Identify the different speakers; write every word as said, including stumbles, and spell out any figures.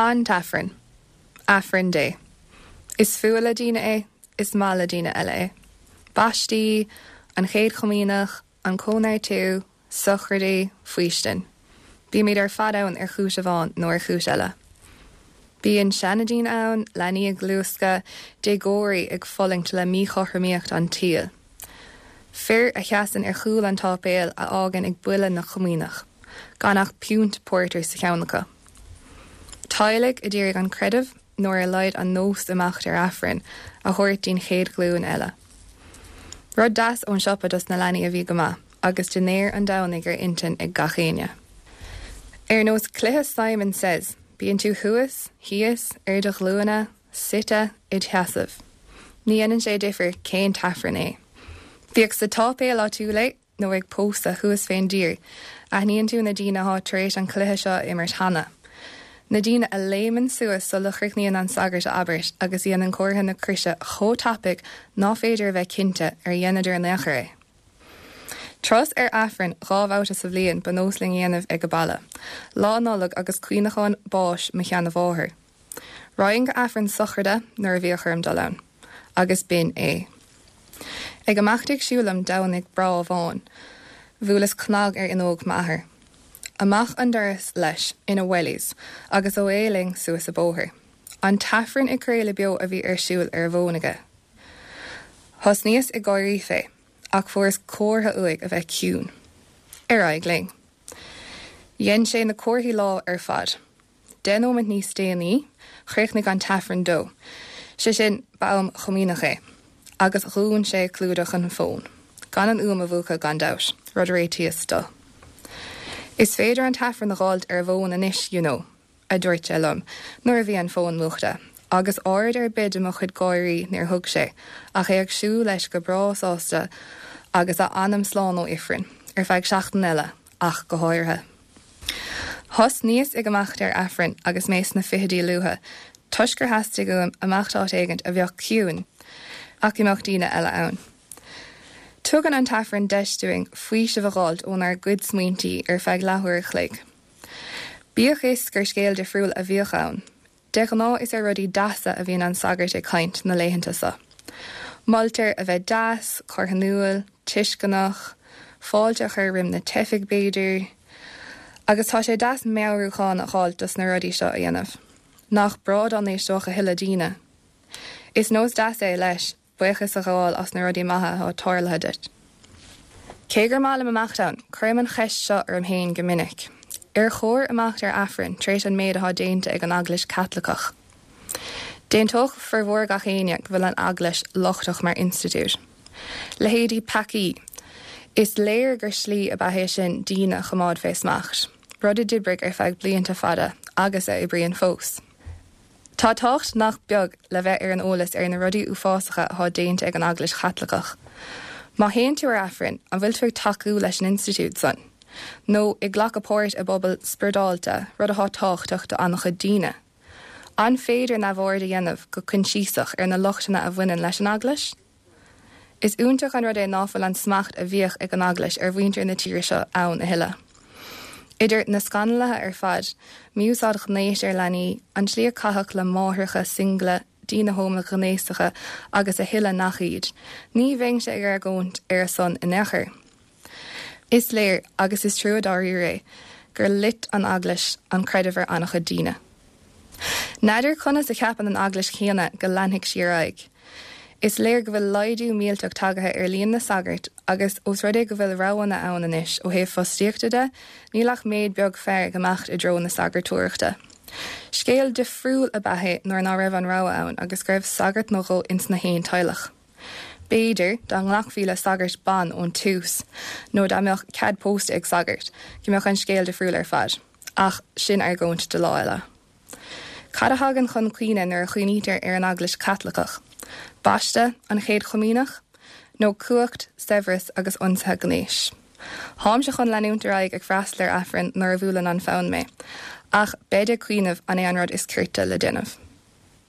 Speaker 1: An tAifreann. Aifreann Dé. Is fuath le daoine é, is maith le daoine eile é. Baistí, an chéad chomaoineach, an cóineartú, sochraidí, faoistin. Bímid ar fad ann ar chúis amháin nó ar chúis eile. Bíonn seandaoine ann, leanaí ag luascadh, déagóirí ag fulaingt le míchothromaíocht an tsaoil. Fir a sheasann ar chúl an tsáipéil a fhágann ag buille na comaoineach, gan ach piúnt pórtair sa cheann acu. Teaghlaigh a d'iarraidh an creideamh nó ar a laghad an nós imeacht ar Aifreann a thabhairt don chéad ghlúin eile. Rud deas ón siopa dos na leanaí a bhí go maith, agus dinnéar an Domhnaigh ar intinn ag gach éinne. Ar nós cluiche Simon Says, bíonn tú thuas, thíos, ar do ghlúine, suite id sheasamh. Ní dhéanann sé difear cén t-aifreann é. Bíodh sa tsáipéal áitiúil é nó ag pósadh thuas fén dtír, aithníonn tú na daoine atá tar éis an cluiche seo a imirt cheana. Na daoine a léimeann suas sula gcríochnaíonn an sagart a abairt agus dhéanann comhartha na croise chomh tapaidh nach féidir a bheith cinnte ar dheineadar in aon chor é. Turas ar Aifreann dhá bhabhta sa bhliain ba nós linn a dhéanamh ag an baile, Lá Nollag agus cuimhneachán báis mo sheanmháthar. Raghainn go Aifreann sochraide nuair a bhíodh orm dul ann, agus b'in é. Ag imeacht ag siúl liom Domhnach breá amháin, bhuaileas cnag ar fhuinneog m'athar. Amach an doras leis ina wellies agus away linn suas an bóthar. An t-aifreann ag craoladh beo a bhí ar siúl ar a bhfón aige. Thosnaíos ag gáirí fé, ach fuaireas comhartha uaidh a bheith ciúin. Ar aghaidh linn. Dhein sé na comharthaí lámh ar fad. Deich nóiméad níos déanaí, chríochnaigh an t-aifreann dó. Sé sin ba am chomaoineach é, agus dhún sé clúdach an fón. Gan an fhuaim a mhúchadh gan dabht, rud a réitíos dó. Is féidir an t-aifreann a fháilt ar bhfón anois, you know, a dúirt sé liom, nuair a bhí an fón múchta, agus aird ar bith de mo chuid gáirí níor thug sé, ach é ag siúl leis go breá sásta agus a anam slán ó ifreann, ar feadh seachtain eile, ach go háirithe. Thosnaíos ag imeacht ar Aifreann agus mé sna fichidí luatha, toisc gur theastaigh uaim imeacht áit éigin a bheadh ciúin, ach go mbeadh daoine eile ann. Tugann an t-aifreann deis dúinn faoiseamh a fháilt ónár gcuid smaointí ar feadh leathuair a chloig. Bíodh is gur scéal difriúil a bhíodh ann, de ghnáth is ar rudaí deasa a bhíonn an sagart ag caint na laethanta seo. Moltar a bheith deas, carthanúil, tuisceanach, fáilte a chur roimh na teifigh b'fhéidir, agus tá sé deas meabhrúchán a fháilt dos na rudaí seo a dhéanamh. Nach breá dá n-éisteodh a thuilleadh daoine. Is nós deas é leis, buíochas a ghabháil as na rudaí maithe atá tarlaithe duit. Cé gur maith liom imeacht ann, cuirim an cheist seo orm féin go minic. Ar chóir imeacht ar Aifreann tar éis an méid atá déanta ag an Eaglais Chaitliceach. D'aontódh formhór gach éinne go bhfuil an Eaglais lochtach mar institiúid. Leithéidí peacaí. Is léir gur slí ab ea é sin daoine a choimeád fé smacht, rud a d'oibrigh ar feadh blianta fada agus a oibríonn fós. Tá tábhacht nach beag le bheith ar an eolas ar na rudaí uafásacha atá déanta ag an Eaglais Chaitliceach. Má théann tú ar Aifreann, an bhfuil tú ag tacú leis an institiúid san, nó ag glacadh páirt i bpobal spioradálta, rud atá tábhachtach do an-chuid daoine. An féidir neamhaird a dhéanamh go coinsiasach ar na lochtanna a bhaineann leis an Eaglais? Is iontach an rud é ná fuil an smacht a bhíodh ag an Eaglais ar mhuintir na tíre seo ann a thuilleadh. Idir na scannaluithe ar fad, mí-úsáid ghnéis ar leanaí, an tslí a caitheadh le máithreacha single, daoine homaighnéasacha agus a thuilleadh nach iad, ní bheinnse ag argóint ar a son in aon chor. Is léir, agus is trua dáiríre é, gur loit an Eaglais an creideamh ar an-chuid daoine. N'fheadar conas a cheapann an Eaglais chéanna go leanfaidh sí ar aghaidh. Is léir go bhfuil laghdú millteach tagaithe ar líon na sagart agus ós rud é go bhfuil roghanna ann anois ó thaobh fostaíochta de, níl ach méid beag fear ag imeacht i dtreo na sagartóireachta. Scéal difriúil ab ea é nuair ná raibh an rogha ann agus go raibh sagart nó dhó ins na haon teaghlach. B'fhéidir dá nglacfaí le sagairt ban ón tús, nó dá mbeadh cead pósta ag sagart, go mbeadh an scéal difriúil ar fad, ach sin argóint do lá eile. Cad a thagann chun cuimhne nuair a chuimhnítear ar an Eaglais Chaitliceach? Baisteadh, an chéad chomaoineach? Nó cumhacht, saibhreas agus ionsaithe gnéis? Táimse chun leanúint ar aghaidh ag freastal ar Aifreann nuair a bhuaileann an fonn mé, ach bead ag cuimhneamh an é an rud is cirte le déanamh.